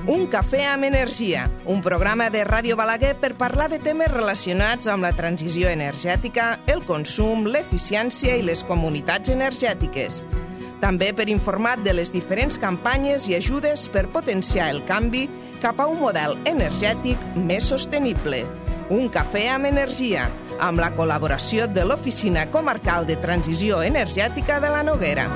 Un cafè amb energia, un programa de Ràdio Balaguer per parlar de temes relacionats amb la transició energètica, el consum, l'eficiència i les comunitats energètiques. També per informar de les diferents campanyes i ajudes per potenciar el canvi cap a un model energètic més sostenible. Un cafè amb energia, amb la col·laboració de l'Oficina Comarcal de Transició Energètica de la Noguera.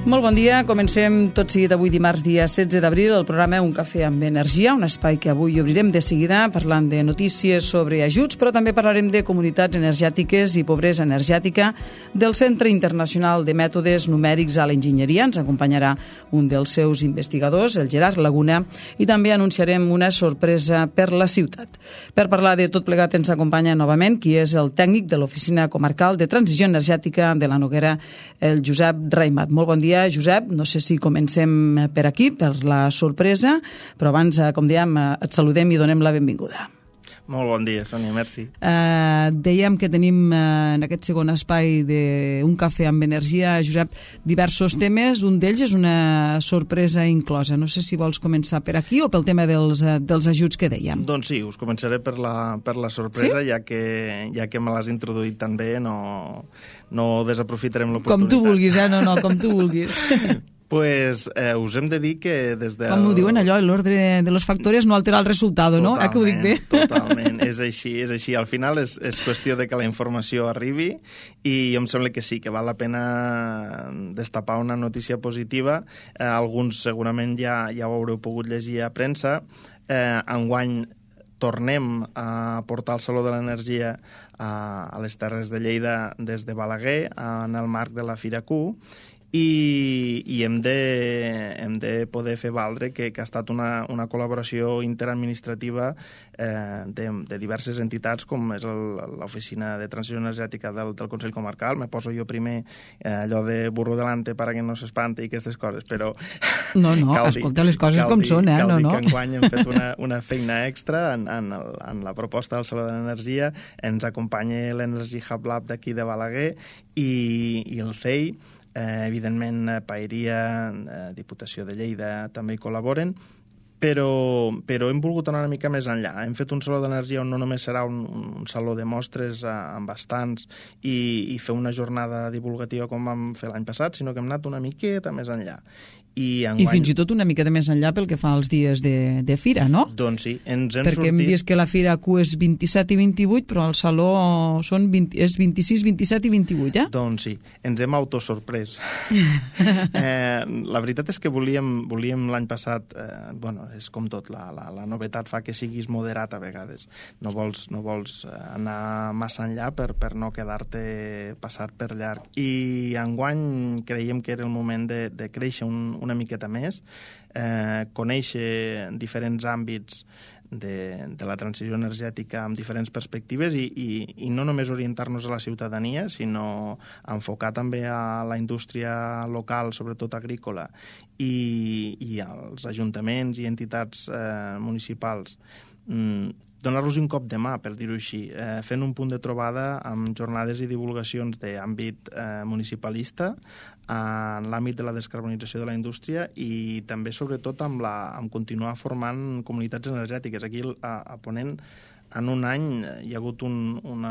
Molt bon dia, comencem tot seguit avui dimarts dia 16 d'abril el programa Un cafè amb energia, un espai que avui obrirem de seguida parlant de notícies sobre ajuts, però també parlarem de comunitats energètiques i pobresa energètica del Centre Internacional de Mètodes Numèrics a l'Enginyeria. Ens acompanyarà un dels seus investigadors, el Gerard Laguna, i també anunciarem una sorpresa per la ciutat. Per parlar de tot plegat ens acompanya novament qui és el tècnic de l'Oficina Comarcal de Transició Energètica de la Noguera, el Josep Raimat. Molt bon dia, Josep. No sé si comencem per aquí, per la sorpresa, però abans, com dèiem, et saludem i donem la benvinguda. Molt bon dia, Sònia, merci. Dèiem que tenim en aquest segon espai d'Un cafè amb energia, Josep, diversos temes. Un d'ells és una sorpresa inclosa. No sé si vols començar per aquí o pel tema dels ajuts que dèiem. Doncs sí, us començaré per la sorpresa, sí? ja que me l'has introduït tan bé, no desaprofitarem l'oportunitat. Com tu vulguis, no, com tu vulguis. Pues us hem de dir que des de... Com ho diuen allò, l'ordre de los factores no altera el resultado, no? Que ho dic bé? Totalment, és així. Al final és qüestió de que la informació arribi i em sembla que sí, que val la pena destapar una notícia positiva. Alguns segurament ja ho haureu pogut llegir a premsa. Enguany tornem a portar el Saló de l'Energia a les Terres de Lleida des de Balaguer en el marc de la Fira Q i hem de poder fer valdre que ha estat una col·laboració interadministrativa de diverses entitats com és l'Oficina de Transició Energètica del Consell Comarcal. Me poso jo primer allò de burro delante para que no s'espante i aquestes coses, però... No, escolta les coses com són, Cal dir que enguany hem fet una feina extra en la proposta del Saló de l'Energia. Ens acompanya l'Energy Hub Lab d'aquí de Balaguer i el CEI. Evidentment, Paeria, Diputació de Lleida també hi col·laboren, però hem volgut anar una mica més enllà. Hem fet un saló d'energia on no només serà un saló de mostres amb bastants i fer una jornada divulgativa com vam fer l'any passat, sinó que hem anat una miqueta més enllà. I fins i tot una miqueta més enllà pel que fa als dies de fira, no? Doncs sí, ens hem sortit... Perquè hem vist que la fira Q és 27 i 28, però el saló és 26, 27 i 28, eh? Doncs sí, ens hem autosorprès. La veritat és que volíem l'any passat... és com tot, la novetat fa que siguis moderat a vegades. No vols anar massa enllà per no quedar-te passat per llarg. I enguany creiem que era el moment de créixer una miqueta més, conèixer diferents àmbits de la transició energètica amb diferents perspectives i no només orientar-nos a la ciutadania, sinó enfocar també a la indústria local, sobretot agrícola, i als ajuntaments i entitats municipals. Donar-los un cop de mà, per dir-ho així, fent un punt de trobada amb jornades i divulgacions d'àmbit municipalista, en l'àmbit de la descarbonització de la indústria i també, sobretot, amb continuar formant comunitats energètiques. Aquí, a Ponent, en un any hi ha hagut un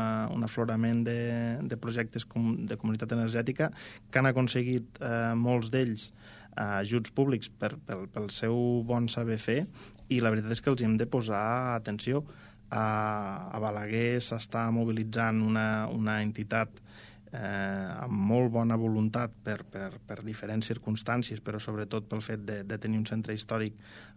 aflorament de projectes de comunitat energètica que han aconseguit molts d'ells ajuts públics pel seu bon saber fer i la veritat és que els hem de posar atenció. A Balaguer s'està mobilitzant una entitat amb molt bona voluntat per diferents circumstàncies, però sobretot pel fet de tenir un centre històric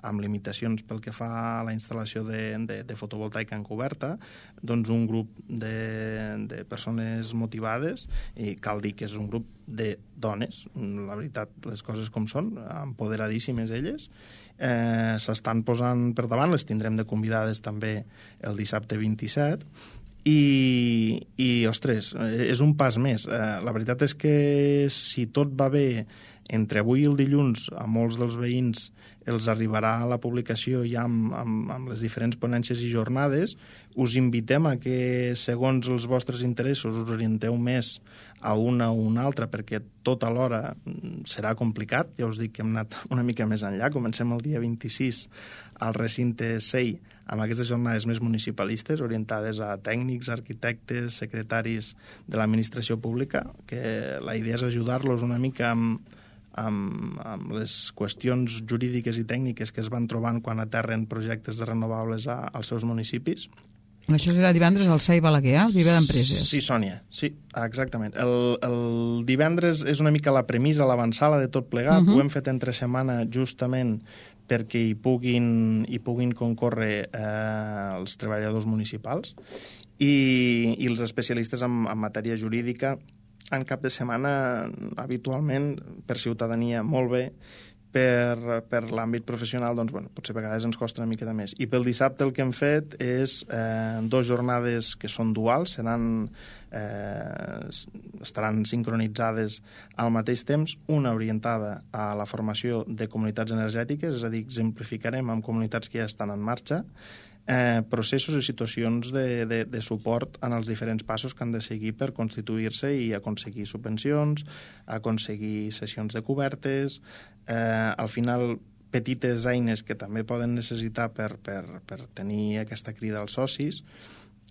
amb limitacions pel que fa a la instal·lació de fotovoltaica encoberta, doncs un grup de persones motivades, i cal dir que és un grup de dones, la veritat, les coses com són, empoderadíssimes elles, s'estan posant per davant, les tindrem de convidades també el dissabte 27, i ostres, és un pas més. La veritat és que si tot va bé Entre avui i el dilluns, a molts dels veïns els arribarà la publicació ja amb les diferents ponències i jornades. Us invitem a que, segons els vostres interessos, us orienteu més a una o una altra, perquè tot alhora serà complicat. Ja us dic que hem anat una mica més enllà. Comencem el dia 26 al recinte SEI amb aquestes jornades més municipalistes, orientades a tècnics, arquitectes, secretaris de l'administració pública, que la idea és ajudar-los una mica amb les qüestions jurídiques i tècniques que es van trobant quan aterren projectes de renovables als seus municipis. Això serà divendres al SEI Balaguer, el Viver d'Empreses. Sí, Sònia, sí, exactament. El divendres és una mica la premissa, l'avançada de tot plegat. Ho hem fet entre setmana justament perquè hi puguin concórrer els treballadors municipals i els especialistes en matèria jurídica. En cap de setmana, habitualment, per ciutadania, molt bé. Per l'àmbit professional, doncs, bueno, potser a vegades ens costa una miqueta més. I pel dissabte el que hem fet és 2 jornades que són duals, estaran sincronitzades al mateix temps, una orientada a la formació de comunitats energètiques, és a dir, exemplificarem amb comunitats que ja estan en marxa, processos i situacions de suport en els diferents passos que han de seguir per constituir-se i aconseguir subvencions, aconseguir sessions de cobertes, al final petites eines que també poden necessitar per tenir aquesta crida als socis.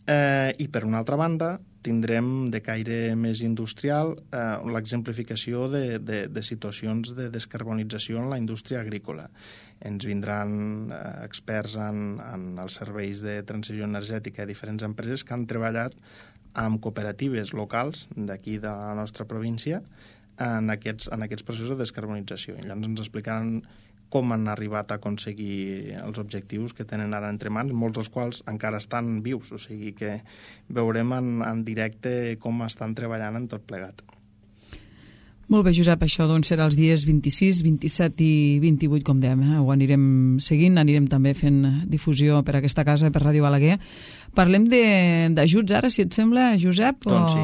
I per una altra banda tindrem de caire més industrial l'exemplificació de situacions de descarbonització en la indústria agrícola. Ens vindran experts en els serveis de transició energètica de diferents empreses que han treballat amb cooperatives locals d'aquí de la nostra província en aquests processos de descarbonització. I llavors ens explicaran com han arribat a aconseguir els objectius que tenen ara entre mans, molts dels quals encara estan vius, o sigui que veurem en directe com estan treballant en tot plegat. Molt bé, Josep, això doncs serà els dies 26, 27 i 28, com dèiem, ho anirem seguint, anirem també fent difusió per aquesta casa, per Ràdio Balaguer. Parlem d'ajuts ara, si et sembla, Josep? Doncs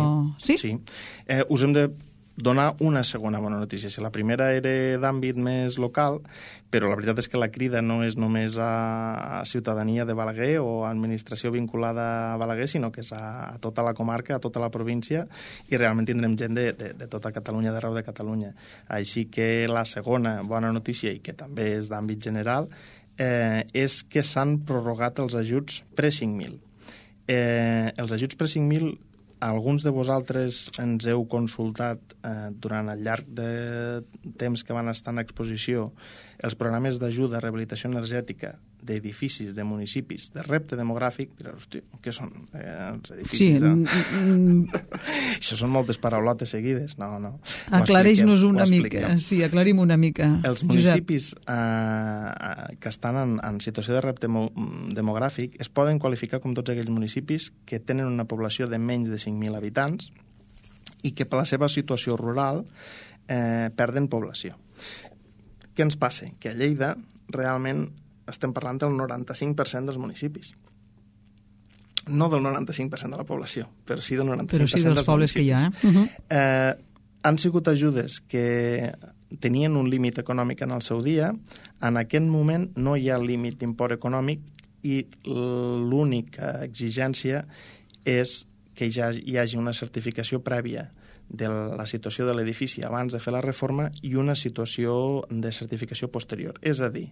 sí. Us hem de donar una segona bona notícia. Si la primera era d'àmbit més local, però la veritat és que la crida no és només a ciutadania de Balaguer o a administració vinculada a Balaguer, sinó que és a tota la comarca, a tota la província, i realment tindrem gent de tota Catalunya, d'arreu de Catalunya. Així que la segona bona notícia, i que també és d'àmbit general, és que s'han prorrogat els ajuts pre-5.000. Els ajuts pre-5.000, alguns de vosaltres ens heu consultat durant el llarg de temps que van estar en exposició els programes d'ajuda a rehabilitació energètica d'edificis, de municipis, de repte demogràfic. Direu, hòstia, què són els edificis? Sí. Això són moltes paraulotes seguides. No. Aclareix-nos una mica. Sí, aclarim una mica. Els municipis que estan en situació de repte demogràfic es poden qualificar com tots aquells municipis que tenen una població de menys de 5.000 habitants i que per la seva situació rural perden població. Què ens passa? Que a Lleida realment estem parlant del 95% dels municipis. No del 95% de la població, però sí del 95% però sí dels pobles municipis. Que hi ha. Han sigut ajudes que tenien un límit econòmic en el seu dia. En aquest moment no hi ha límit d'import econòmic i l'única exigència és que ja hi hagi una certificació prèvia de la situació de l'edifici abans de fer la reforma i una situació de certificació posterior. És a dir,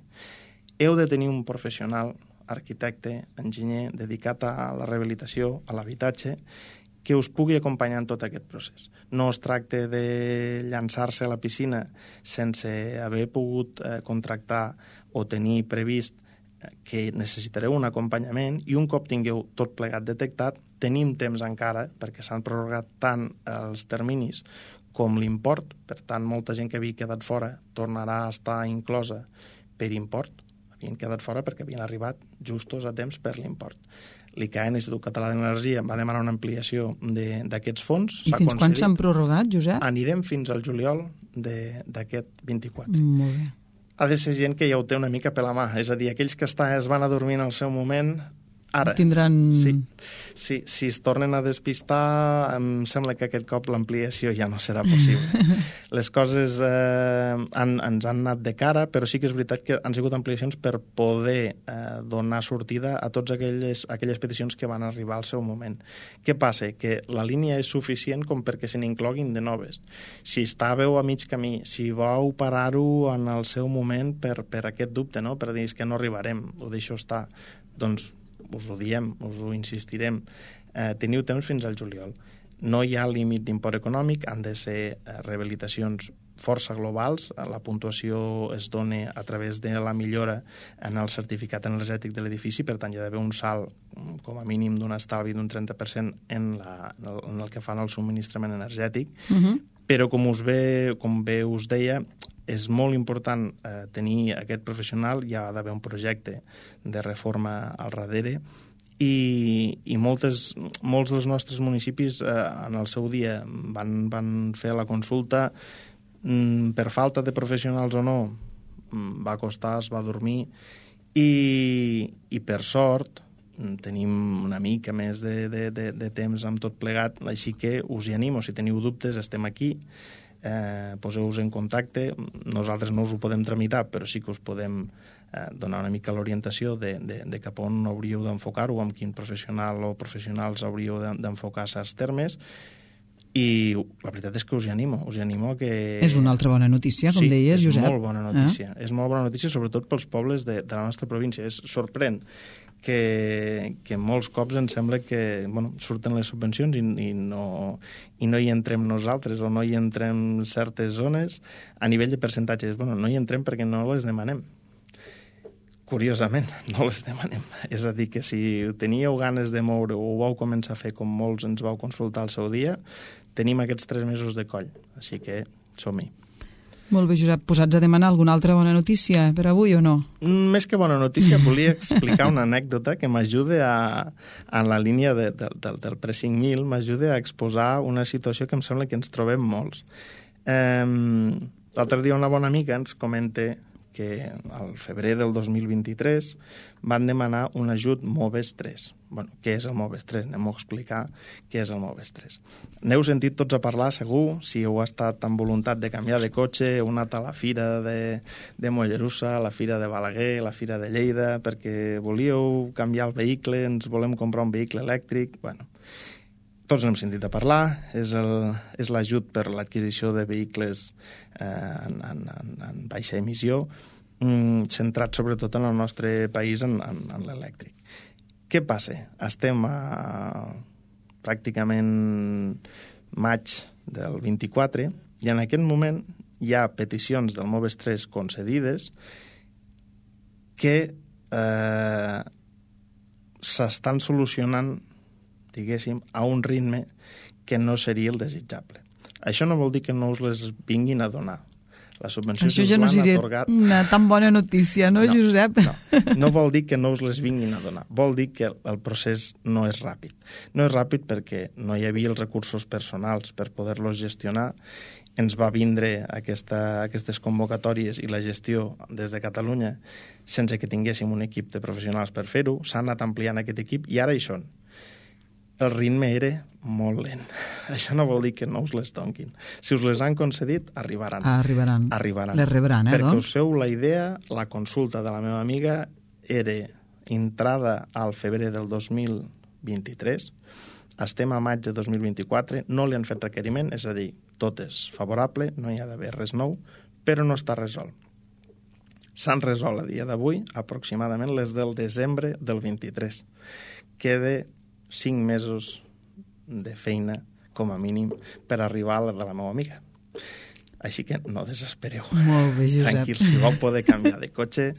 heu de tenir un professional, arquitecte, enginyer, dedicat a la rehabilitació, a l'habitatge, que us pugui acompanyar en tot aquest procés. No es tracta de llançar-se a la piscina sense haver pogut contractar o tenir previst que necessitareu un acompanyament, i un cop tingueu tot plegat detectat, tenim temps encara, perquè s'han prorrogat tant els terminis com l'import. Per tant, molta gent que havia quedat fora tornarà a estar inclosa per import. Havien quedat fora perquè havien arribat justos a temps per l'import. L'ICAE, l'Institut Català d'Energia, va demanar una ampliació d'aquests fons. I fins quan s'han prorrogat, Josep? Anirem fins al juliol d'aquest 24. Molt bé. Ha de ser gent que ja ho té una mica per la mà. És a dir, aquells que es van adormir en el seu moment, Ara, tindran... Sí, si es tornen a despistar, em sembla que aquest cop l'ampliació ja no serà possible. Les coses ens han anat de cara, però sí que és veritat que han sigut ampliacions per poder donar sortida a totes aquelles peticions que van arribar al seu moment. Què passa? Que la línia és suficient com perquè se n'incloguin de noves. Si estàveu a mig camí, si vau parar-ho en el seu moment per aquest dubte, no? Per dir que no arribarem, ho deixo estar, doncs us ho diem, us ho insistirem, teniu temps fins al juliol. No hi ha límit d'import econòmic, han de ser rehabilitacions força globals, la puntuació es dona a través de la millora en el certificat energètic de l'edifici, per tant hi ha d'haver un salt com a mínim d'un estalvi d'un 30% en el que fan el subministrament energètic, però com bé us deia, és molt important tenir aquest professional, hi ha d'haver un projecte de reforma al darrere i molts dels nostres municipis en el seu dia van fer la consulta, per falta de professionals o no, va costar, es va dormir i per sort tenim una mica més de temps amb tot plegat, així que us hi animo, si teniu dubtes estem aquí, poseu-vos en contacte, nosaltres no us ho podem tramitar, però sí que us podem donar una mica l'orientació de cap on hauríeu d'enfocar-ho, amb quin professional o professionals hauríeu d'enfocar certs termes, i la veritat és que us hi animo a que... És una altra bona notícia, com deies, Josep. Sí, és molt bona notícia. És molt bona notícia, sobretot pels pobles de la nostra província. És sorprèn que molts cops ens sembla que surten les subvencions i no hi entrem nosaltres o no hi entrem certes zones a nivell de percentatges. No hi entrem perquè no les demanem. Curiosament, no les demanem. És a dir, que si teníeu ganes de moure o ho vau començar a fer com molts ens vau consultar al seu dia, tenim aquests 3 mesos de coll. Així que som-hi. Molt bé, Josep. Posats a demanar alguna altra bona notícia per avui o no? Més que bona notícia, volia explicar una anècdota que m'ajuda en la línia del Pre-5000, m'ajuda a exposar una situació que em sembla que ens trobem molts. L'altre dia una bona amiga ens comenta que al febrer del 2023 van demanar un ajut MOVES 3. Què és el MOVES 3? Anem a explicar què és el MOVES 3. N'heu sentit tots a parlar, segur, si heu estat amb voluntat de canviar de cotxe, heu anat a la fira de Mollerussa, a la fira de Balaguer, a la fira de Lleida, perquè volíeu canviar el vehicle, ens volem comprar un vehicle elèctric. Tots n'hem sentit a parlar, és l'ajut per l'adquisició de vehicles en baixa emissió, centrat sobretot en el nostre país en l'elèctric. Què passa? Estem a pràcticament maig del 24 i en aquest moment hi ha peticions del MOVES 3 concedides que s'estan solucionant, diguéssim, a un ritme que no seria el desitjable. Això no vol dir que no us les vinguin a donar. La subvenció això ja no seria una tan bona notícia, no, Josep? No vol dir que no us les vinguin a donar. Vol dir que el procés no és ràpid. No és ràpid perquè no hi havia els recursos personals per poder-los gestionar. Ens va vindre aquestes convocatòries i la gestió des de Catalunya sense que tinguéssim un equip de professionals per fer-ho. S'ha anat ampliant aquest equip i ara hi són. El ritme era molt lent. Això no vol dir que no us les donquin. Si us les han concedit, arribaran. Arribaran. Les rebran, Perquè us feu la idea, la consulta de la meva amiga era entrada al febrer del 2023, estem a maig de 2024, no li han fet requeriment, és a dir, tot és favorable, no hi ha d'haver res nou, però no està resolt. S'han resolt a dia d'avui aproximadament les del desembre del 23. Queda 5 mesos de feina, com a mínim, per arribar a la de la meva amiga. Així que no desespereu. Molt bé, Josep. Tranquils, si vau poder canviar de cotxe,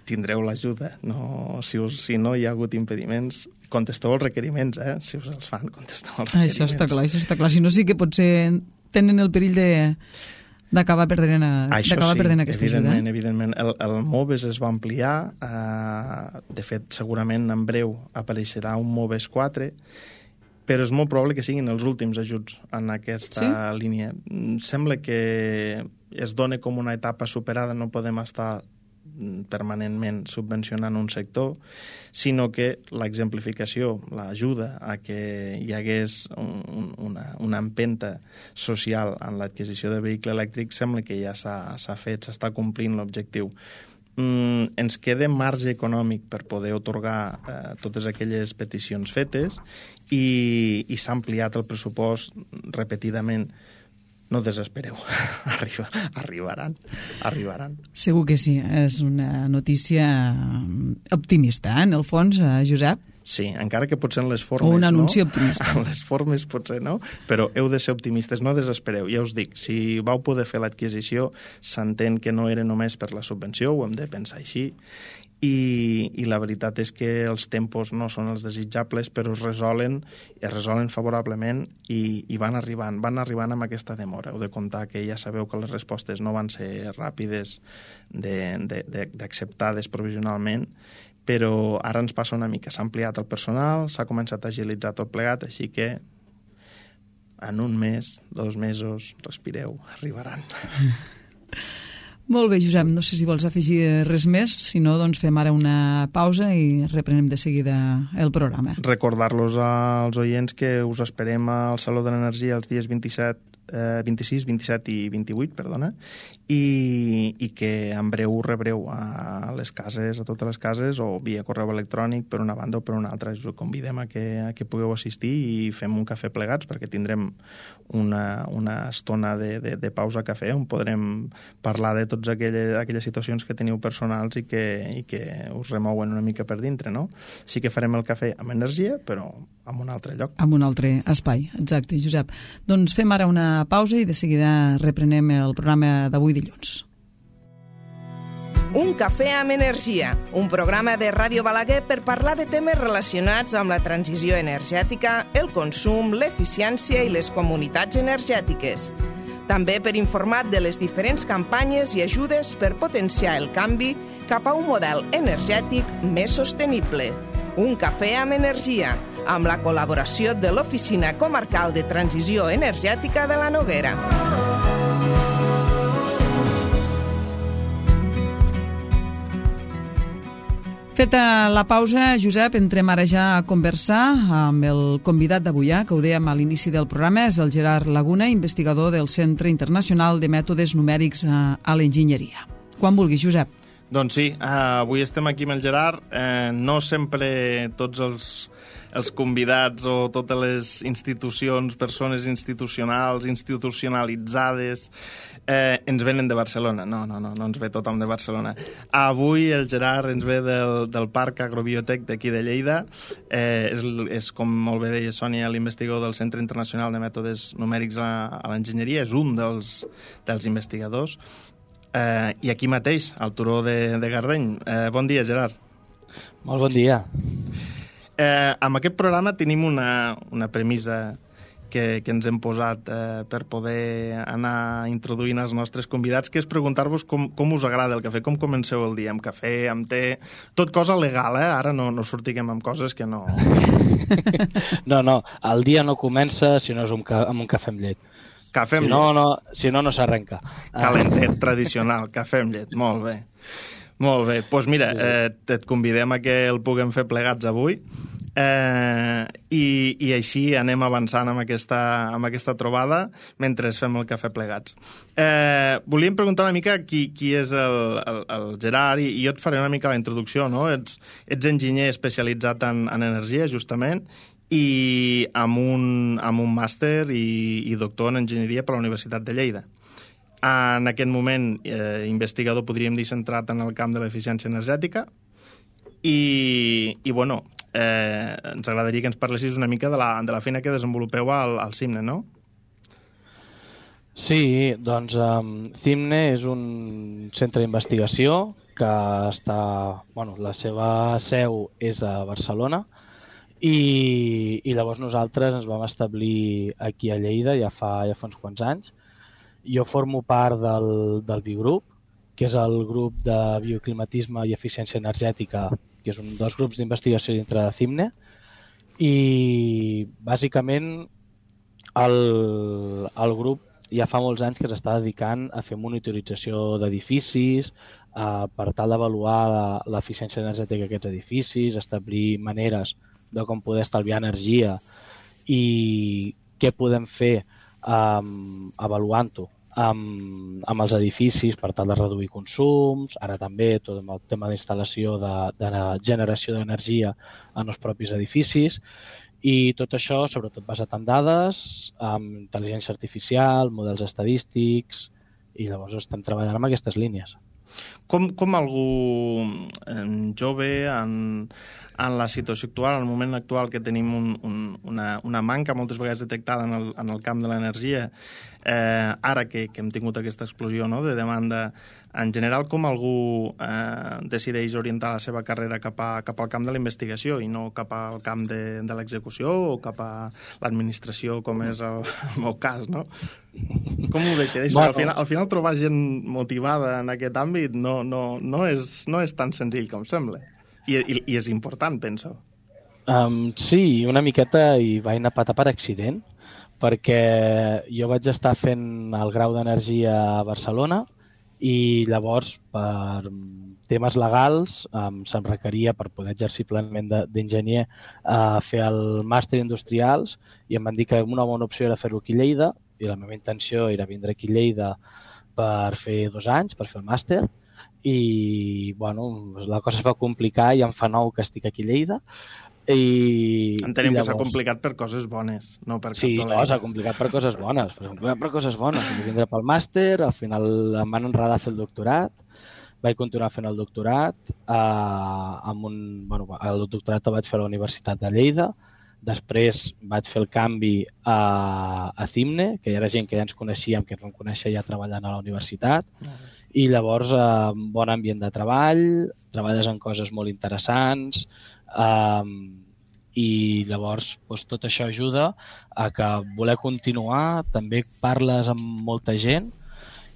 tindreu l'ajuda. No, si no hi ha hagut impediments, contesteu els requeriments, Si us els fan, contesteu els requeriments. Això està clar. Si no, sí que potser tenen el perill d'acabar perdent aquesta ajuda. Evidentment. El MOVES es va ampliar. De fet, segurament en breu apareixerà un MOVES 4, però és molt probable que siguin els últims ajuts en aquesta línia. Sembla que es dona com una etapa superada, no podem estar permanentment subvencionant un sector, sinó que l'exemplificació, l'ajuda a que hi hagués una empenta social en l'adquisició de vehicle elèctric sembla que ja s'ha fet, s'està complint l'objectiu. Ens queda marge econòmic per poder otorgar totes aquelles peticions fetes i s'ha ampliat el pressupost repetidament. No desespereu, arribaran. Segur que sí, és una notícia optimista, en el fons, Josep? Sí, encara que potser en les formes o un anunci optimista. En les formes potser no, però heu de ser optimistes, no desespereu. Ja us dic, si vau poder fer l'adquisició, s'entén que no era només per la subvenció, ho hem de pensar així, i la veritat és que els tempos no són els desitjables, però es resolen favorablement i van arribant amb aquesta demora. Heu de comptar que ja sabeu que les respostes no van ser ràpides d'acceptades provisionalment, però ara ens passa una mica. S'ha ampliat el personal, s'ha començat a agilitzar tot plegat, així que en un mes, 2 mesos, respireu, arribaran. Molt bé, Josep, no sé si vols afegir res més, si no, doncs fem ara una pausa i reprenem de seguida el programa. Recordar-los als oients que us esperem al Saló de l'Energia els dies 26, 27 i 28, i que en breu rebreu a les cases, a totes les cases, o via correu electrònic per una banda o per una altra. Us convidem a que pugueu assistir i fem un cafè plegats, perquè tindrem una estona de pausa a cafè on podrem parlar de totes aquelles situacions que teniu personals i que us remouen una mica per dintre, no? Així que farem el cafè amb energia, però en un altre lloc. En un altre espai, exacte, Josep. Doncs fem ara una pausa i de seguida reprenem el programa d'avui dilluns. Un cafè amb energia, un programa de Ràdio Balaguer per parlar de temes relacionats amb la transició energètica, el consum, l'eficiència i les comunitats energètiques. També per informar de les diferents campanyes i ajudes per potenciar el canvi cap a un model energètic més sostenible. Un cafè amb energia, amb la col·laboració de l'Oficina Comarcal de Transició Energètica de la Noguera. Feta la pausa, Josep, entrem ara ja a conversar amb el convidat d'avui, que ho dèiem a l'inici del programa, és el Gerard Laguna, investigador del Centre Internacional de Mètodes Numèrics a l'Enginyeria. Quan vulguis, Josep. Doncs sí, avui estem aquí amb el Gerard. No sempre tots els convidats o totes les institucions, persones institucionals, institucionalitzades, ens venen de Barcelona. No ens ve tothom de Barcelona. Avui el Gerard ens ve del Parc Agrobiotec d'aquí de Lleida. És, com molt bé deia Sònia, l'investigador del Centre Internacional de Mètodes Numèrics a l'Enginyeria. És un dels investigadors. I aquí mateix, al turó de Gardeny. Bon dia, Gerard. Molt bon dia. Amb aquest programa tenim una premissa que ens hem posat per poder anar introduint els nostres convidats, que és preguntar-vos com us agrada el cafè, com comenceu el dia, amb cafè, amb te... Tot cosa legal, Ara no sortiguem amb coses que no... No, el dia no comença si no és amb un cafè amb llet. Cafè amb llet. Si no s'arrenca. Calentet, tradicional, cafè amb llet, molt bé. Molt bé, doncs mira, et convidem a que el puguem fer plegats avui i així anem avançant amb aquesta trobada mentre fem el cafè plegats. Volíem preguntar una mica qui és el Gerard i jo et faré una mica la introducció, no? Ets enginyer especialitzat en energia, justament, i amb un màster i doctor en enginyeria per la Universitat de Lleida. En aquest moment, investigador, podríem dir, centrat en el camp de l'eficiència energètica i bueno, ens agradaria que ens parlessis una mica de la feina que desenvolupeu al CIMNE, no? Sí, doncs CIMNE és un centre d'investigació que està... Bueno, la seva seu és a Barcelona i llavors nosaltres ens vam establir aquí a Lleida ja fa uns quants anys. Jo formo part del Biogrup, que és el grup de bioclimatisme i eficiència energètica, que és un dels grups d'investigació dintre de CIMNE, i bàsicament el grup ja fa molts anys que s'està dedicant a fer monitorització d'edificis, per tal d'avaluar l'eficiència energètica d'aquests edificis, establir maneres de com poder estalviar energia i què podem fer avaluant-ho amb els edificis per tal de reduir consums, ara també tot el tema d'instal·lació de generació d'energia en els propis edificis, i tot això sobretot basat en dades, amb intel·ligència artificial, models estadístics, i llavors estem treballant amb aquestes línies. Com algú jove en la situació actual, en el moment actual que tenim una manca moltes vegades detectada en el camp de l'energia, ara que hem tingut aquesta explosió, no?, de demanda, en general, com algú decideix orientar la seva carrera cap al camp de la investigació i no cap al camp de l'execució o cap a l'administració, com és el meu cas, no? Com ho decideix? Bueno, al final trobar gent motivada en aquest àmbit no és tan senzill com sembla. I és important, penso. Sí, una miqueta hi vaig anar patar per accident, perquè jo vaig estar fent el grau d'energia a Barcelona i llavors per temes legals se'm requeria per poder exercir plenament d'enginyer fer el màster industrials i em van dir que una bona opció era fer-ho aquí a Lleida i la meva intenció era vindre aquí a Lleida per fer 2 anys, per fer el màster i bueno, la cosa es va complicar i em fa 9 que estic aquí a Lleida. Entenem que s'ha complicat per coses bones, no per cap dolent. Sí, s'ha complicat per coses bones. Vaig vindre pel màster, al final em van enredar a fer el doctorat, vaig continuar fent el doctorat, el doctorat el vaig fer a la Universitat de Lleida, després vaig fer el canvi a CIMNE, que hi era gent que ja ens coneixíem, que ens vam conèixer ja treballant a la universitat, i llavors bon ambient de treball, treballes en coses molt interessants, i llavors tot això ajuda a que voler continuar, també parles amb molta gent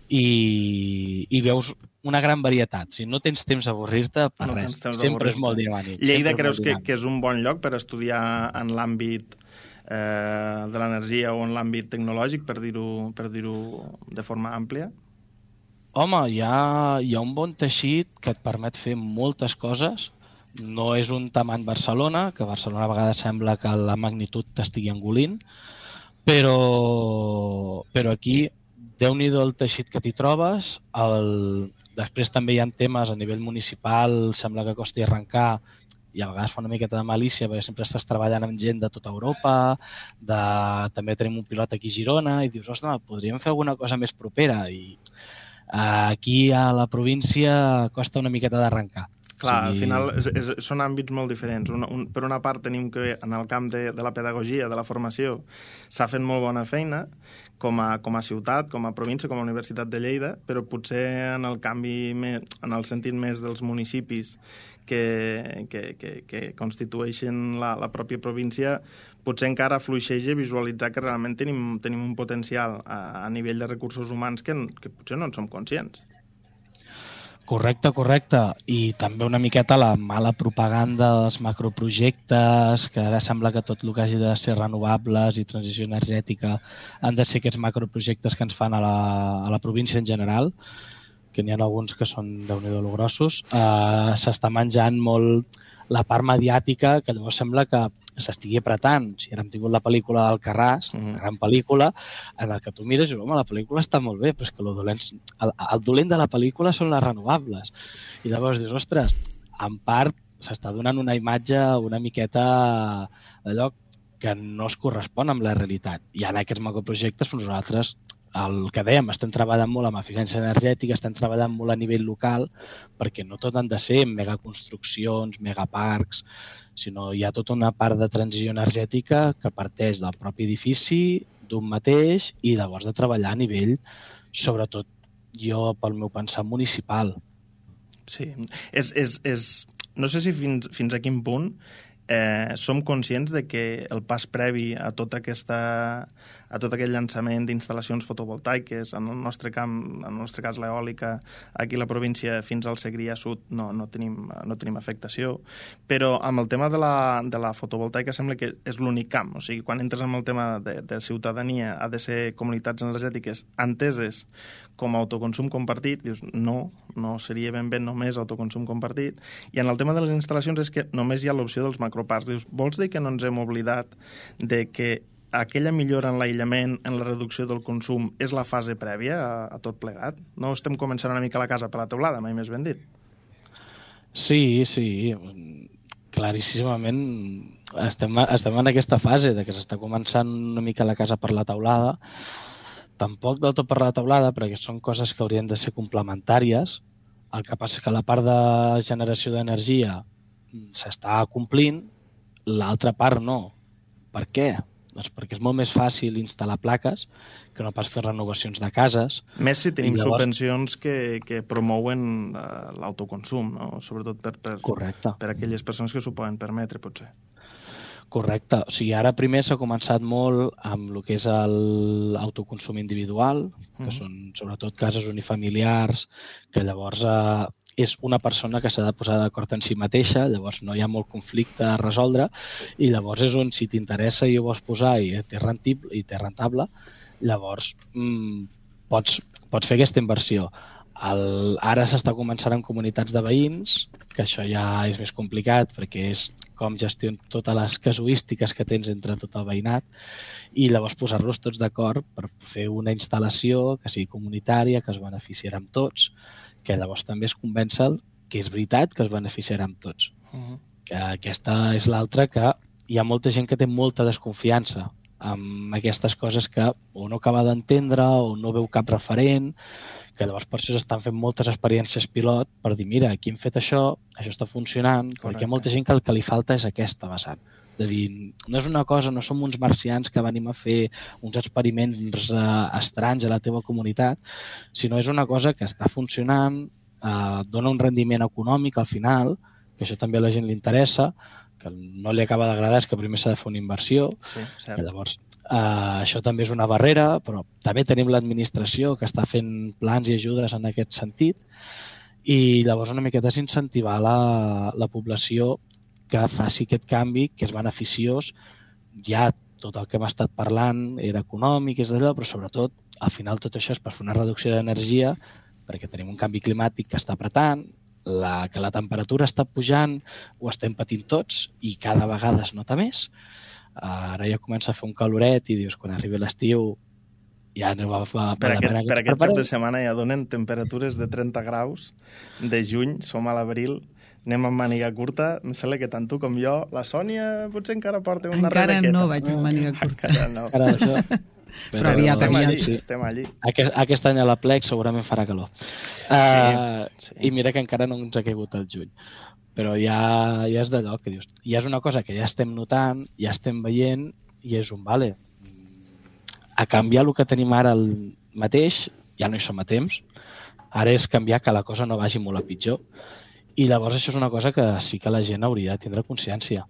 i veus una gran varietat. Si no tens temps d'avorrir-te, per res. Sempre és molt dinàmic. Lleida creus que és un bon lloc per estudiar en l'àmbit de l'energia o en l'àmbit tecnològic, per dir-ho de forma àmplia? Home, hi ha un bon teixit que et permet fer moltes coses. No és un tamany Barcelona, que Barcelona a vegades sembla que la magnitud t'estigui engolint, però aquí, Déu-n'hi-do el teixit que t'hi trobes. Després també hi ha temes a nivell municipal, sembla que costi arrencar, i a vegades fa una miqueta de malícia, perquè sempre estàs treballant amb gent de tota Europa, també tenim un pilot aquí a Girona, i dius, ostres, podríem fer alguna cosa més propera, i aquí a la província costa una miqueta d'arrencar. Clar, al final són àmbits molt diferents. Per una part tenim que en el camp de la pedagogia, de la formació, s'ha fet molt bona feina com a ciutat, com a província, com a Universitat de Lleida, però potser en el canvi, en el sentit més dels municipis que constitueixen la pròpia província, potser encara fluixeja visualitzar que realment tenim un potencial a nivell de recursos humans que potser no en som conscients. Correcte. I també una miqueta la mala propaganda dels macroprojectes, que ara sembla que tot el que hagi de ser renovables i transició energètica han de ser aquests macroprojectes que ens fan a la província en general, que n'hi ha alguns que són Déu-n'hi-do lo grossos. S'està menjant molt la part mediàtica, que llavors sembla que s'estigui apretant. Si ara hem tingut la pel·lícula d'Alcarràs, una gran pel·lícula, en la que tu mires i dius, home, la pel·lícula està molt bé, però és que el dolent de la pel·lícula són les renovables. I llavors dius, ostres, en part s'està donant una imatge una miqueta d'allò que no es correspon amb la realitat. I en aquests macroprojectes, doncs nosaltres, el que dèiem, estem treballant molt amb eficiència energètica, estem treballant molt a nivell local, perquè no tot han de ser megaconstruccions, megaparcs, sinó hi ha tota una part de transició energètica que parteix del propi edifici, d'un mateix, i llavors de treballar a nivell, sobretot jo, pel meu pensar, municipal. Sí, no sé si fins a quin punt som conscients de que el pas previ a tot aquest llançament d'instal·lacions fotovoltaiques, en el nostre cas l'eòlica, aquí a la província fins al Segrià Sud no tenim afectació, però amb el tema de la fotovoltaica sembla que és l'únic camp. O sigui, quan entres en el tema de ciutadania, ha de ser comunitats energètiques enteses com a autoconsum compartit, dius, no seria ben bé només autoconsum compartit. I en el tema de les instal·lacions és que només hi ha l'opció dels macroparcs. Dius, vols dir que no ens hem oblidat de que aquella millora en l'aïllament, en la reducció del consum, és la fase prèvia a tot plegat? No estem començant una mica la casa per la teulada, mai més ben dit? Sí. Claríssimament estem en aquesta fase de que s'està començant una mica la casa per la teulada. Tampoc del tot per la teulada, perquè són coses que haurien de ser complementàries. El que passa és que la part de generació d'energia s'està complint, l'altra part no. Per què? Doncs perquè és molt més fàcil instal·lar plaques que no pas fer renovacions de cases. Més si tenim subvencions que promouen l'autoconsum, no? Sobretot per aquelles persones que s'ho poden permetre, potser. Correcte. O sigui, ara primer s'ha començat molt amb el que és l'autoconsum individual, que són sobretot cases unifamiliars, que llavors és una persona que s'ha de posar d'acord en si mateixa, llavors no hi ha molt conflicte a resoldre, i llavors és on, si t'interessa i ho vols posar i té rentable, llavors pots fer aquesta inversió. Ara s'està començant en comunitats de veïns, que això ja és més complicat perquè és com gestionar totes les casuístiques que tens entre tot el veïnat i llavors posar-los tots d'acord per fer una instal·lació que sigui comunitària, que es beneficiarà amb tots, que llavors també es convencen que és veritat que es beneficiarà amb tots. Que aquesta és l'altra, que hi ha molta gent que té molta desconfiança amb aquestes coses que o no acaba d'entendre o no veu cap referent, que llavors per això s'estan fent moltes experiències pilot per dir, mira, aquí hem fet això està funcionant. Correcte. Perquè hi ha molta gent que el que li falta és aquesta vessant. De dir, no és una cosa, no som uns marcians que venim a fer uns experiments estranys a la teva comunitat, sinó és una cosa que està funcionant, dona un rendiment econòmic al final, que això també a la gent li interessa, que no li acaba d'agradar és que primer s'ha de fer una inversió, que llavors això també és una barrera, però també tenim l'administració que està fent plans i ajudes en aquest sentit, i llavors una miqueta és incentivar la població que faci aquest canvi, que és beneficiós. Ja tot el que hem estat parlant era econòmic, és d'allò, però sobretot al final tot això és per fer una reducció d'energia, perquè tenim un canvi climàtic que està apretant, que la temperatura està pujant, ho estem patint tots i cada vegada es nota més. Ara ja comença a fer un caloret i dius, quan arribi l'estiu ja no va per aquest cap de setmana ja donen temperatures de 30 graus de juny, som a l'abril, anem amb màniga curta, em sembla que tant tu com jo, la Sònia potser encara porta una rebequeta. Encara no vaig amb màniga curta. Encara no. Però aviat. Estem allí. Aquest any a la Plec segurament farà calor. Sí. I mira que encara no ens ha caigut el juny. Però ja és d'allò que dius. Ja és una cosa que ja estem notant, ja estem veient, i és un vale. A canviar el que tenim ara el mateix, ja no hi som a temps. Ara és canviar que la cosa no vagi molt a pitjor. I llavors això és una cosa que sí que la gent hauria de tindre consciència.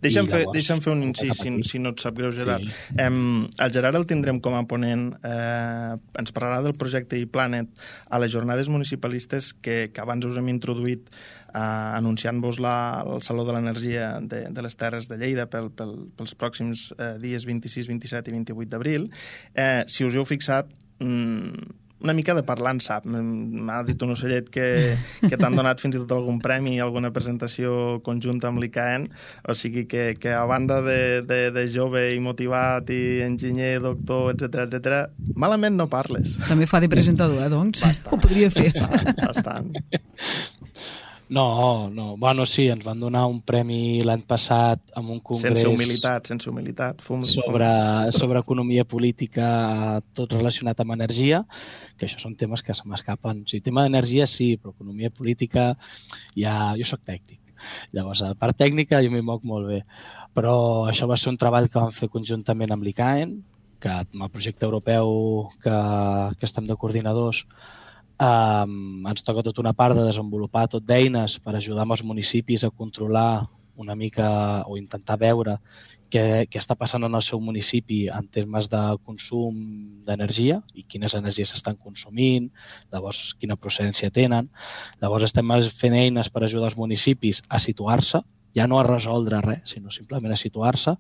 Deixa'm fer un incís, si no et sap greu, Gerard. Sí. El Gerard el tindrem com a ponent, ens parlarà del projecte ePlanet a les jornades municipalistes que abans us hem introduït anunciant-vos el Saló de l'Energia de les Terres de Lleida pels pròxims dies 26, 27 i 28 d'abril. Si us heu fixat, una mica de parlant sap. M'ha dit un ocellet que t'han donat fins i tot algun premi, alguna presentació conjunta amb l'ICAEN, o sigui que a banda de jove i motivat i enginyer, doctor, etc, malament no parles. També fa de presentador, doncs. Bastant. Ho podria fer. Bastant. No. Bueno, sí, ens van donar un premi l'any passat amb un congrés... Sense humilitat. Sobre economia política, tot relacionat amb energia, que això són temes que se m'escapen. O sigui, tema d'energia sí, però economia política jo soc tècnic. Llavors, a la part tècnica jo m'hi moc molt bé. Però això va ser un treball que vam fer conjuntament amb l'ICAEN, que amb el projecte europeu que estem de coordinadors, ens toca tota una part de desenvolupar tot d'eines per ajudar amb els municipis a controlar una mica o intentar veure què està passant en el seu municipi en termes de consum d'energia i quines energies s'estan consumint, llavors quina procedència tenen. Llavors estem fent eines per ajudar els municipis a situar-se, ja no a resoldre res, sinó simplement a situar-se,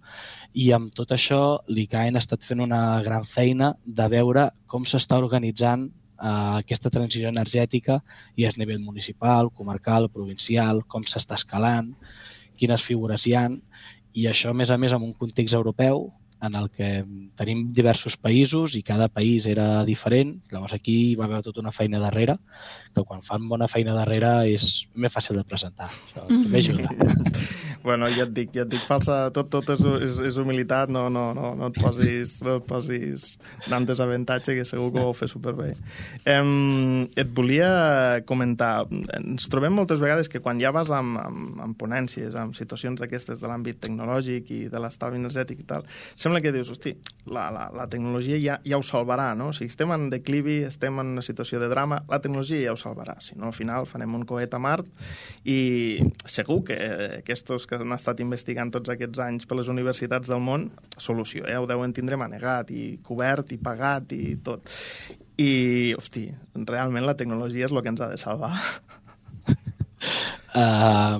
i amb tot això l'ICAEN ha estat fent una gran feina de veure com s'està organitzant aquesta transició energètica i a nivell municipal, comarcal, provincial, com s'està escalant, quines figures hi ha, i això, a més, en un context europeu en el que tenim diversos països i cada país era diferent. Llavors aquí hi va haver tota una feina darrere, que quan fan bona feina darrere és més fàcil de presentar. Això també ajuda. Bueno, ja et dic, falsa, tot és humilitat, no et posis en desavantatge, que segur que ho fer superbé. Et volia comentar, ens trobem moltes vegades que quan ja vas en ponències, en situacions d'aquestes de l'àmbit tecnològic i de l'estalvi energètic i tal, sembla que dius, hosti, la tecnologia ja ho salvarà, no? Si estem en declivi, estem en una situació de drama, la tecnologia ja ho salvarà. Si no, al final farem un coet a Mart i segur que aquests que han estat investigant tots aquests anys per les universitats del món, solució, ho deuen tindre manegat i cobert i pagat i tot. I, hosti, realment la tecnologia és el que ens ha de salvar.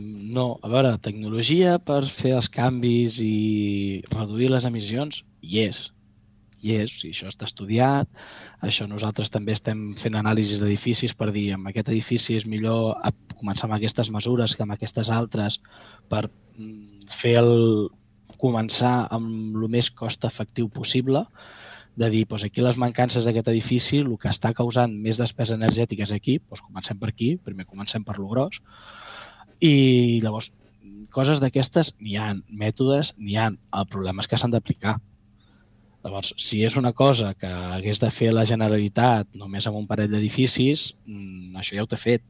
No, a veure, tecnologia per fer els canvis i reduir les emissions, hi és, si això està estudiat, això nosaltres també estem fent anàlisis d'edificis per dir, amb aquest edifici és millor començar amb aquestes mesures que amb aquestes altres per començar amb el més cost efectiu possible, de dir, doncs aquí les mancances d'aquest edifici, el que està causant més despesa energètica és aquí, doncs comencem per aquí, primer comencem per lo gros, i llavors coses d'aquestes n'hi ha, mètodes n'hi ha, el problema és que s'han d'aplicar. Llavors, si és una cosa que hagués de fer la Generalitat només amb un parell d'edificis, això ja ho té fet.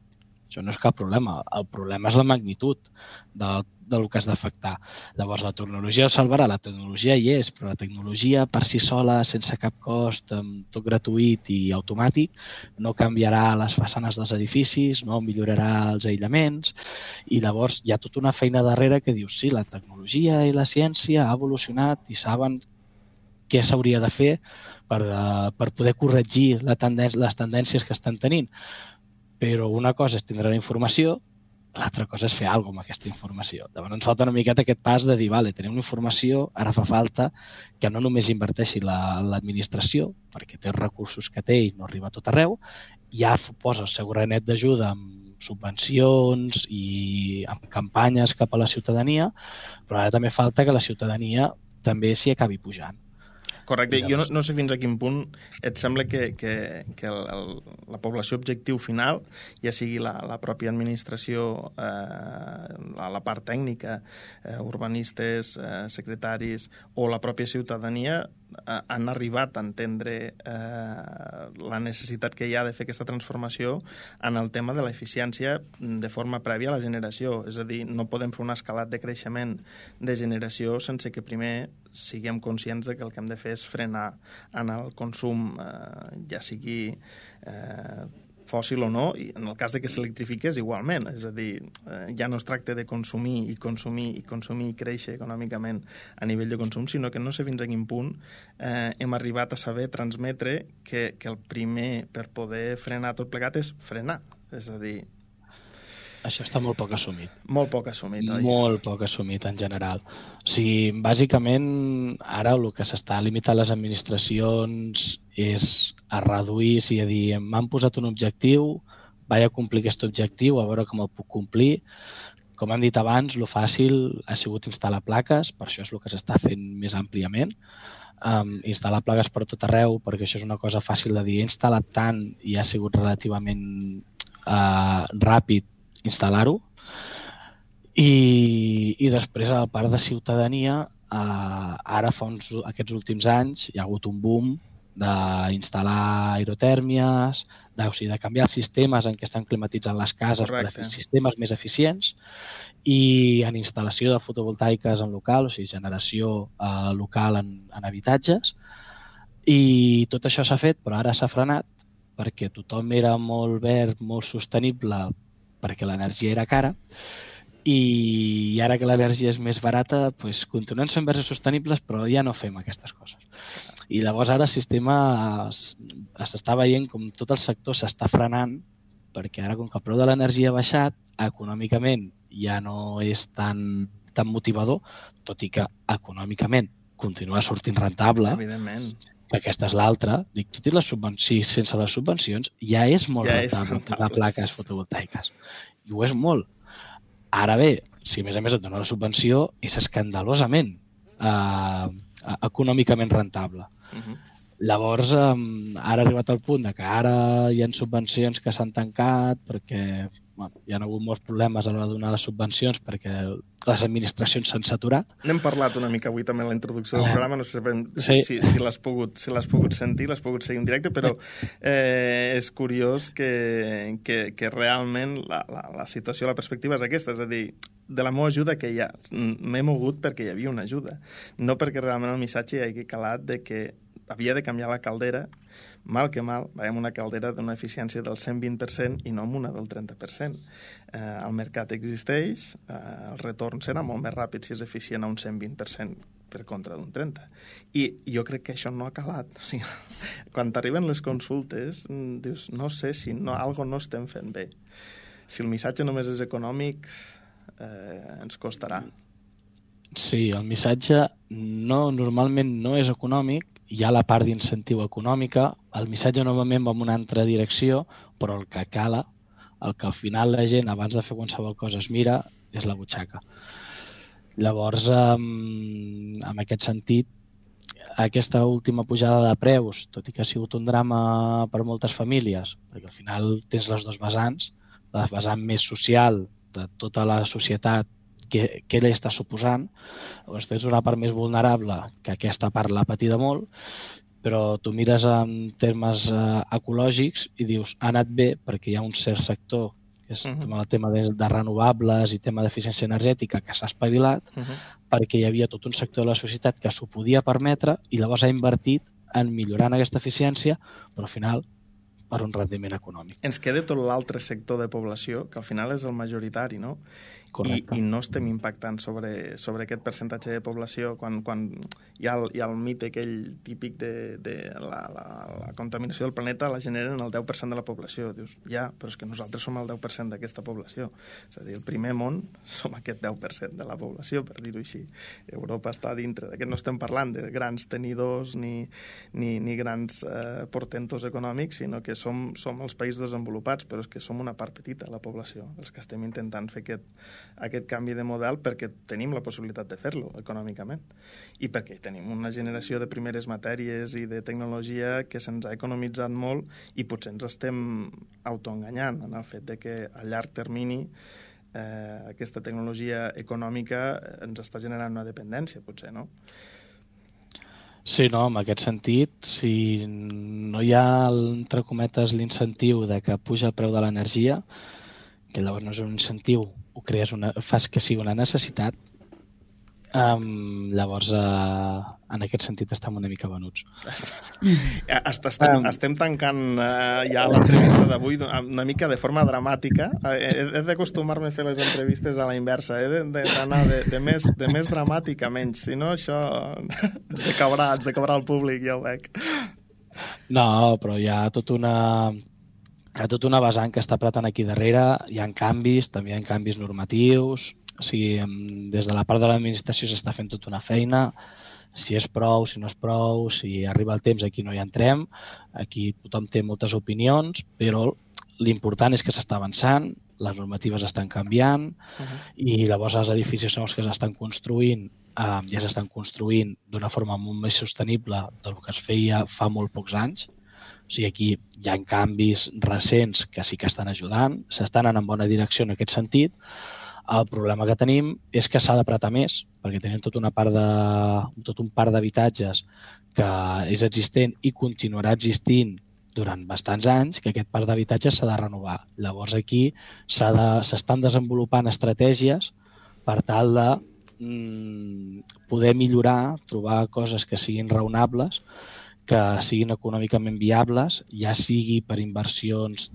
Això no és cap problema. El problema és la magnitud del que has d'afectar. Llavors, la tecnologia ho salvarà. La tecnologia hi és, però la tecnologia per si sola, sense cap cost, tot gratuït i automàtic, no canviarà les façanes dels edificis, no millorarà els aïllaments, i llavors hi ha tota una feina darrere que dius, sí, la tecnologia i la ciència ha evolucionat i saben què s'hauria de fer per poder corregir les tendències que estan tenint. Però una cosa és tindre la informació, l'altra cosa és fer alguna cosa amb aquesta informació. Llavors ens falta una miqueta aquest pas de dir, vale, tenim una informació, ara fa falta que no només inverteixi l'administració, perquè té els recursos que té i no arriba a tot arreu, ja posa el seu granet d'ajuda amb subvencions i amb campanyes cap a la ciutadania, però ara també falta que la ciutadania també s'hi acabi pujant. Correcte. Jo no sé fins a quin punt et sembla que la població objectiu final, ja sigui la pròpia administració, la part tècnica, urbanistes, secretaris o la pròpia ciutadania, han arribat a entendre la necessitat que hi ha de fer aquesta transformació en el tema de l'eficiència de forma prèvia a la generació. És a dir, no podem fer un escalat de creixement de generació sense que primer siguem conscients de que el que hem de fer és frenar en el consum, ja sigui fòssil o no, i en el cas de que s'electrifiqués igualment. És a dir, ja no es tracta de consumir i créixer econòmicament a nivell de consum, sinó que no sé fins a quin punt hem arribat a saber transmetre que el primer per poder frenar tot plegat és frenar. És a dir, això està molt poc assumit. Molt poc assumit, oi? Molt poc assumit, en general. O sigui, bàsicament, ara el que s'està limitant les administracions és a reduir, a dir, m'han posat un objectiu, vaig a complir aquest objectiu, a veure com el puc complir. Com hem dit abans, el fàcil ha sigut instal·lar plaques, per això és el que s'està fent més àmpliament. Instal·lar plaques per tot arreu, perquè això és una cosa fàcil de dir. He instal·lat tant i ha sigut relativament ràpid instal·lar-ho, i després a la part de ciutadania, ara fa aquests últims anys hi ha hagut un boom d'instal·lar aerotèrmies, de canviar els sistemes en què estan climatitzant les cases. Correcte. Per fer sistemes més eficients, i en instal·lació de fotovoltaiques en local, o sigui, generació local en habitatges, i tot això s'ha fet, però ara s'ha frenat perquè tothom era molt verd, molt sostenible, perquè l'energia era cara, i ara que l'energia és més barata, doncs continuem sent verges sostenibles, però ja no fem aquestes coses. I llavors ara el sistema s'està veient com tot el sector s'està frenant, perquè ara com que el preu de l'energia ha baixat, econòmicament ja no és tan motivador, tot i que econòmicament continua sortint rentable. Evidentment. Que aquesta és l'altra. Dic, tot i les subvencions, sense les subvencions, ja és molt rentable posar plaques fotovoltaiques. I ho és molt. Ara bé, si a més et dona la subvenció, és escandalosament econòmicament rentable. Llavors, ara ha arribat al punt que ara hi ha subvencions que s'han tancat perquè hi ha hagut molts problemes a l'hora de donar les subvencions perquè les administracions s'han saturat. N'hem parlat una mica avui també en la introducció del programa, no sé si l'has pogut sentir, l'has pogut seguir en directe, però és curiós que realment la situació, la perspectiva és aquesta, és a dir, de la meva ajuda que hi ha, m'he mogut perquè hi havia una ajuda, no perquè realment el missatge hi hagi calat de que havia de canviar la caldera, mal que mal, veiem una caldera d'una eficiència del 120% i no amb una del 30%. El mercat existeix, el retorn serà molt més ràpid si és eficient a un 120% per contra d'un 30%. I jo crec que això no ha calat. O sigui, quan t'arriben les consultes, dius, no sé si algo no estem fent bé. Si el missatge només és econòmic, ens costarà. Sí, el missatge normalment no és econòmic, hi ha la part d'incentiu econòmica, el missatge normalment va en una altra direcció, però el que cala, el que al final la gent abans de fer qualsevol cosa es mira, és la butxaca. Llavors, en aquest sentit, aquesta última pujada de preus, tot i que ha sigut un drama per moltes famílies, perquè al final tens les dues vessants, la vessant més social de tota la societat, què li està suposant. Llavors tens una part més vulnerable, que aquesta part l'ha patida molt, però tu mires en termes ecològics i dius, ha anat bé perquè hi ha un cert sector, que és el tema de renovables i tema d'eficiència energètica, que s'ha espavilat, perquè hi havia tot un sector de la societat que s'ho podia permetre i llavors ha invertit en millorar aquesta eficiència, però al final per un rendiment econòmic. Ens queda tot l'altre sector de població, que al final és el majoritari, no? I no estem impactant sobre aquest percentatge de població quan hi ha el mite aquell típic de la contaminació del planeta la generen el 10% de la població. Dius, ja, però és que nosaltres som el 10% d'aquesta població. És a dir, el primer món som aquest 10% de la població, per dir-ho així. Europa està dintre d'aquest. No estem parlant de grans tenidors ni grans portentos econòmics, sinó que som els països desenvolupats, però és que som una part petita de la població, els que estem intentant fer aquest canvi de model perquè tenim la possibilitat de fer-lo econòmicament i perquè tenim una generació de primeres matèries i de tecnologia que se'ns ha economitzat molt i potser ens estem autoenganyant en el fet de que a llarg termini aquesta tecnologia econòmica ens està generant una dependència, potser, no? Sí, no, en aquest sentit, si no hi ha, entre cometes, l'incentiu de que puja el preu de l'energia, que llavors no és un incentiu, ho crees, fas que sigui una necessitat, llavors en aquest sentit estem una mica venuts. Estem tancant ja l'entrevista d'avui una mica de forma dramàtica. He d'acostumar-me a fer les entrevistes a la inversa, he d'anar de més dramàtic a menys, si no això ens decaurà el públic, ja ho veig. No, però hi ha tota una vessant que està apretant aquí darrere, hi ha canvis, també hi ha canvis normatius, o sigui, des de la part de l'administració s'està fent tota una feina, si és prou, si no és prou, si arriba el temps, aquí no hi entrem, aquí tothom té moltes opinions, però l'important és que s'està avançant, les normatives estan canviant i llavors els edificis nous que s'estan construint ja s'estan construint d'una forma molt més sostenible del que es feia fa molt pocs anys. O sigui, aquí hi ha canvis recents que sí que estan ajudant, s'estan anant en bona direcció en aquest sentit. El problema que tenim és que s'ha d'apretar més, perquè tenim tot un parc d'habitatges que és existent i continuarà existint durant bastants anys, que aquest parc d'habitatges s'ha de renovar. Llavors aquí s'estan desenvolupant estratègies per tal de poder millorar, trobar coses que siguin raonables, que siguin econòmicament viables, ja sigui per inversions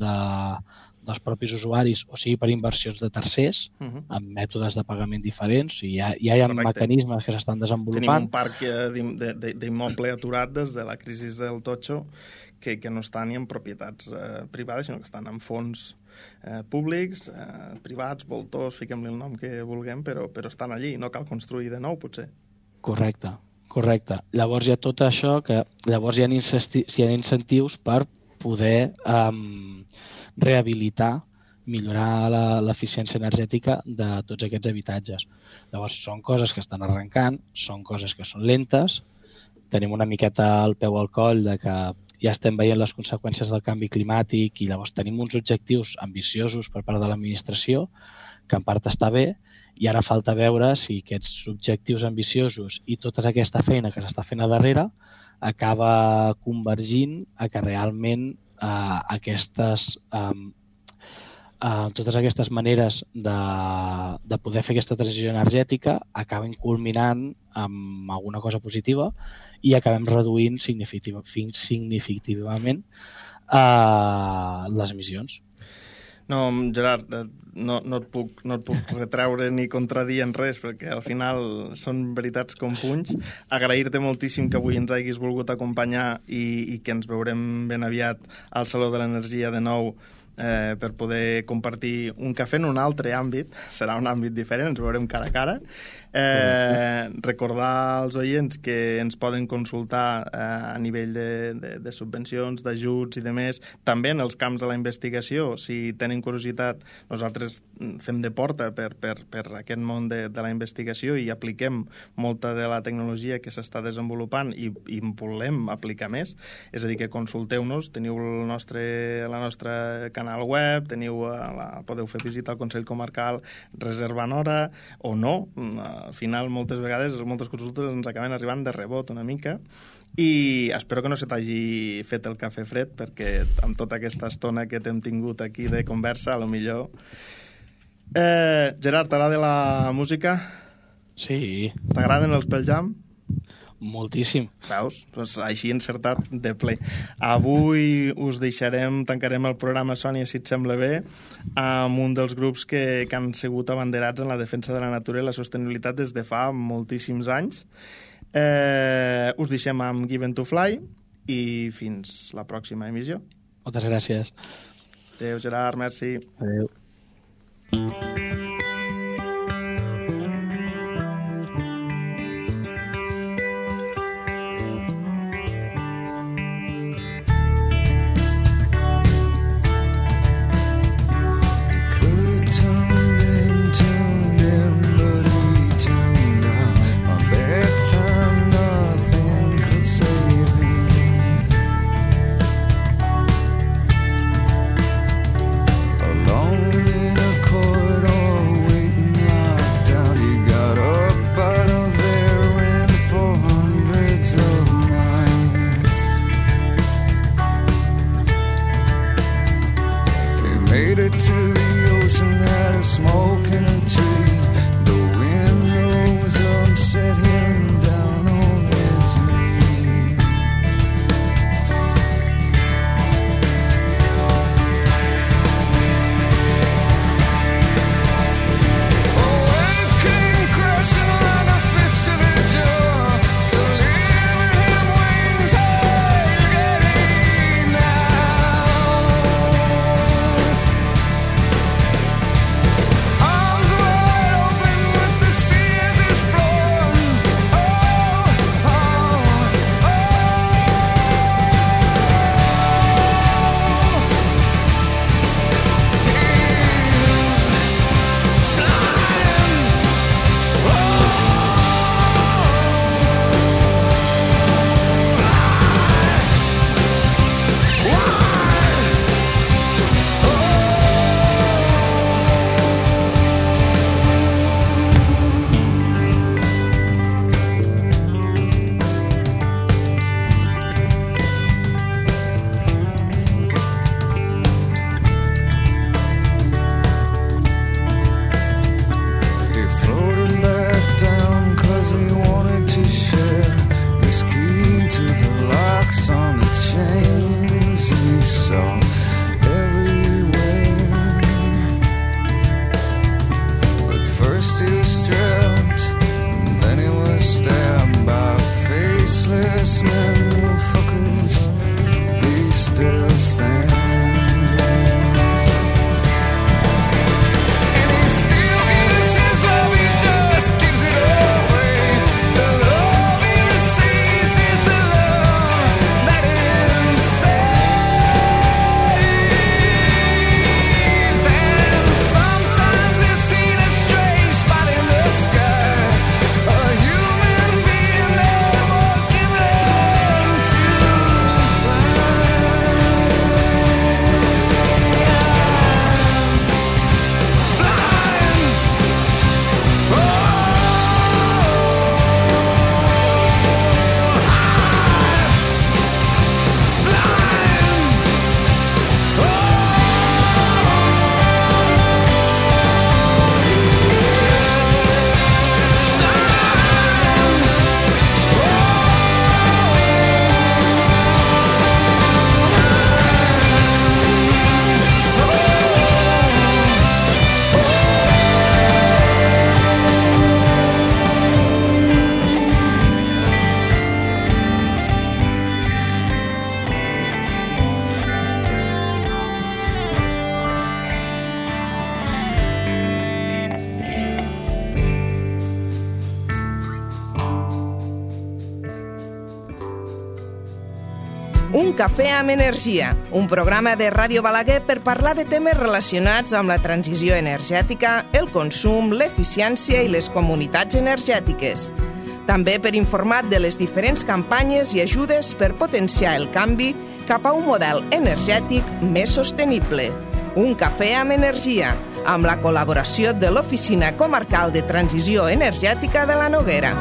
dels propis usuaris, o sigui per inversions de tercers, amb mètodes de pagament diferents, i ja hi ha mecanismes que s'estan desenvolupant. Tenim un parc d'immoble aturat des de la crisi del totxo que no està ni en propietats privades, sinó que estan en fons públics, privats, voltors, fiquem-li el nom que vulguem, però estan allí, no cal construir de nou, potser. Correcte. Llavors hi ha tot això que llavors hi ha incentius per poder rehabilitar, millorar l'eficiència energètica de tots aquests habitatges. Llavors són coses que estan arrencant, són coses que són lentes, tenim una miqueta al peu al coll de que ja estem veient les conseqüències del canvi climàtic i llavors tenim uns objectius ambiciosos per part de l'administració, que en part està bé, i ara falta veure si aquests objectius ambiciosos i tota aquesta feina que s'està fent a darrere acaba convergint a que realment totes aquestes maneres de poder fer aquesta transició energètica acaben culminant amb alguna cosa positiva i acabem reduint significativament les emissions. No, Gerard, no et puc retreure ni contradir en res, perquè al final són veritats com punys. Agrair-te moltíssim que avui ens hagis volgut acompanyar i que ens veurem ben aviat al Saló de l'Energia de nou per poder compartir un cafè en un altre àmbit. Serà un àmbit diferent, ens veurem cara a cara. Recordar als oients que ens poden consultar a nivell de subvencions, d'ajuts i de més, també en els camps de la investigació. Si tenen curiositat, nosaltres fem de porta per aquest món de la investigació i apliquem molta de la tecnologia que s'està desenvolupant i volem aplicar més. És a dir, que consulteu-nos, teniu la nostra canal web, podeu fer visita al Consell Comarcal reservant hora o no. Al final, moltes vegades, moltes consultes ens acaben arribant de rebot una mica i espero que no se t'hagi fet el cafè fred, perquè amb tota aquesta estona que t'hem tingut aquí de conversa, a lo millor... Gerard, t'agrada la música? Sí. T'agraden els Pearl Jam? Moltíssim. Veus? Doncs així encertat de ple. Avui us tancarem el programa, Sònia, si et sembla bé, amb un dels grups que han sigut abanderats en la defensa de la natura i la sostenibilitat des de fa moltíssims anys. Us deixem amb Given to Fly i fins la pròxima emissió. Moltes gràcies. Adéu, Gerard, merci. Adéu. Alone in a corridor Un cafè amb energia, un programa de Ràdio Balaguer per parlar de temes relacionats amb la transició energètica, el consum, l'eficiència i les comunitats energètiques. També per informar de les diferents campanyes i ajudes per potenciar el canvi cap a un model energètic més sostenible. Un cafè amb energia, amb la col·laboració de l'Oficina Comarcal de Transició Energètica de la Noguera.